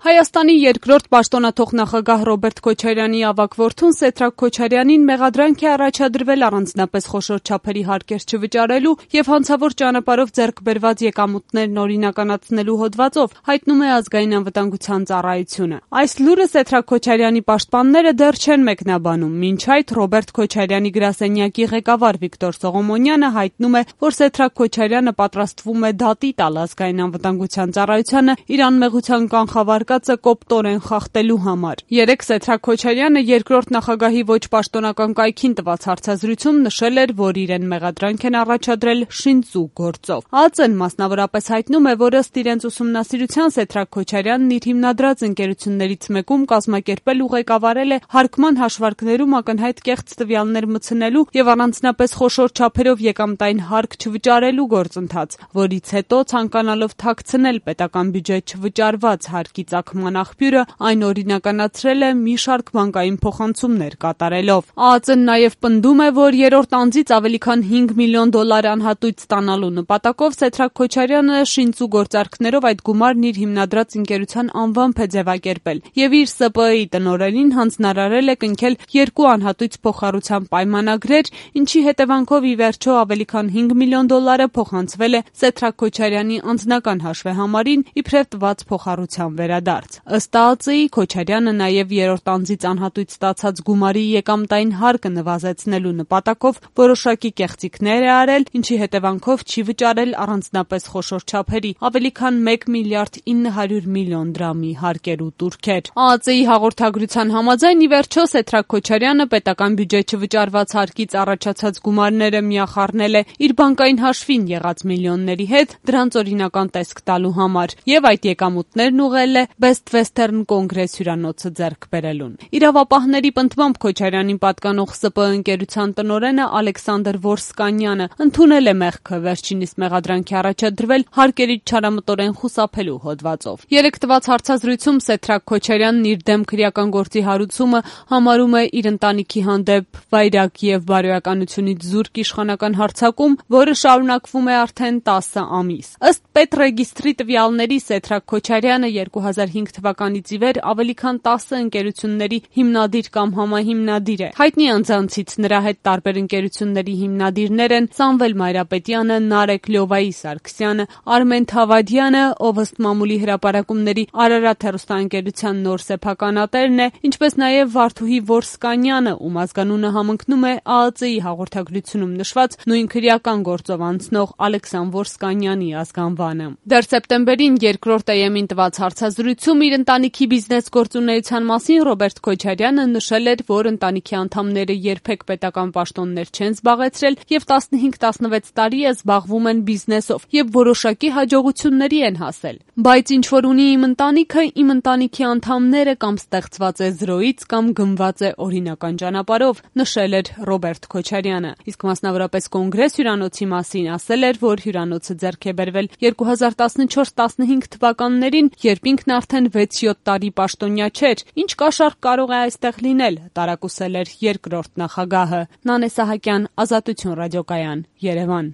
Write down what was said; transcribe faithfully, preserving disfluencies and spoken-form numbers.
Հայաստանի երկրորդ պաշտոնաթող նախագահ Ռոբերտ Քոչարյանի ավագ որդուն Սեդրակ Քոչարյանին մեղադրանք է առաջադրվել առանձնապես խոշոր չափերի հարկեր չվճարելու և հանցավոր ճանապարհով ձեռք բերված եկամուտներն օրինականացնելու հոդվածով, հայտնում է Ազգային անվտանգության ծառայությունը։ Այս լուրը Սեդրակ Քոչարյանի պաշտպանները դեռ չեն մեկնաբանում, մինչ այդ Ռոբերտ Քոչարյանի գրասենյակի ղեկավար Վիկտոր Սողոմոնյանը հայտնում է, որ Սեդրակ Քոչարյանը պատրաստվում է դատի տալ Ազգային անվտանգության ծառայությանը իր անմեղության կանխավարկածը կոպտորեն խախտելու համար։ Երեկ Սեդրակ Քոչարյանը երկրորդ նախագահի ոչ պաշտոնական կայքին տված հարցազրույցում նշել էր, որ իրեն մեղադրանք են առաջադրել շինծու գործով։ ԱԾ-ն մասնավորապես հայտնում է, որ ըստ իրենց ուսումնասիրության Սեդրակ Քոչարյանն իր հիմնադրած ընկերություններից մեկում կազմակերպել ու ղեկավարել է հարկման հաշվարկներում ակնհայտ կեղծ տվյալներ մտցնելու և առանձնապես խոշոր չափերով եկամտային հարկ չվճարելու գործընթաց, որից հետո ցանկանալով թաքցնել պետական բյուջեի չվճարված հարկի ծագման աղբյուրը, այն օրինականացրել է մի շարք բանկային փոխանցումներ կատարելով։ ԱԱԾ-ն նաև պնդում է, որ երրորդ անձից ավելի քան հինգ միլիոն դոլար անհատույց ստանալու նպատակով Սեդրակ Քոչարյանը շինծու գործարքներով այդ գումարն իր հիմնադրած ընկերության անվամբ է ձևակերպել և իր ՍՊԸ-ի տնօրենին հանձնարարել է կնքել երկու անհատույց փոխառության պայմանագրեր, ինչի հետևանքով ի վերջո ավելի քան հինգ միլիոն դոլարը փոխանցվել է Սեդրակ Քոչարյանի անձնական հաշվեհամարին իբրև տված փոխառության վերադարձ։ Ըստ ԱԱԾ-ի Քոչարյանը նաև երրորդ անձից անհատույց ստացած գումարի եկամտային հարկը նվազեցնելու նպատակով որոշակի կեղծիքներ է արել, ինչի հետևանքով չի վճարել առանձնապես խոշոր չափերի ավելի քան մեկ միլիարդ ինը հարյուր միլիոն դրամի հարկեր ու տուրքեր։ ԱԱԾ-ի հաղորդագրության համաձայն ի վերջո Սեդրակ Քոչարյանը պետական բյուջեի չվճարված հարկից առաջացած գումարները միախառնել է իր բանկային հաշվին եղած միլիոնների հետ դրանց օրինական տեսք տալու համար և այդ եկամուտներն ուղղել է Best Western Congress հյուրանոցը ձեռք բերելուն։ Իրավապահների պնդմամբ Քոչարյանին պատկանող ՍՊԸ ընկերության տնօրենը Ալեքսանդր Որսկանյանը ընդունել է մեղքը, վերջինիս մեղադրանք է առաջադրվել հարկերից չարամտորեն խուսափելու հոդվածով։ Երեկ տված հարցազրույցում Սեդրակ Քոչարյանն իր դեմ քրեական գործի հարուցումը համարում է իր ընտանիքի հանդեպ վայրագ և բարոյականությունից զուրկ իշխանական հարձակում, որը շարունակվում է արդեն տասը ամիս։ Ըստ պետռեգիստրի տվյալների Սեդրակ Քոչարյանը երկու հազար հինգ թվականից ի վեր ավելի քան տասը ընկերությունների հիմնադիր կամ համահիմնադիր է։ Հայտնի անձանցից նրա հետ տարբեր ընկերությունների հիմնադիրներ են Սամվել Մայրապետյանը, Նարեկ Լյովայի Սարգսյանը, Արմեն Թավադյանը, ով ըստ մամուլի հրապարակումների Արարատ հեռուստաընկերության նոր սեփականատերն է, ինչպես նաև Վարդուհի Որսկանյանը, ում ազգանունը համընկնում է ԱԱԾ-ի հաղորդագրությունում նշված նույն քրեական գործով անցնող Ալեքսան Որսկանյանի ազգանվանը։ Դեռ սեպտեմբերին երկրորդ ԷԵՄ-ին տված հարցազրույցում իր ընտանիքի բիզնես գործունեության մասին Ռոբերտ Քոչարյանը նշել էր, որ ընտանիքի անդամները երբեք պետական պաշտոններ չեն զբաղեցրել և տասնհինգ տասնվեց տարի է զբաղվում են բիզնեսով և որոշակի հաջողությունների են հասել։ Բայց ինչ որ ունի իմ ընտանիքը, իմ ընտանիքի անդամները կամ ստեղծված է զրոյից կամ գնված է օրինական ճանապարհով, նշել էր Ռոբերտ Քոչարյանը։ Իսկ մասնավորապես Կոնգրես հյուրանոցի մասին ասել էր, որ հյուրանոցը ձեռք է բերվել երկու հազար տասնչորս տասնհինգ թվականներին, երբ ինքն արդեն վեց-յոթ տարի պաշտոնյա չէր, ինչ կաշառք կարող է այստեղ լինել, տարակուսել էր երկրորդ նախագահը։ Նանե Սահակյան, Ազատություն ռադիոկայան, Երևան։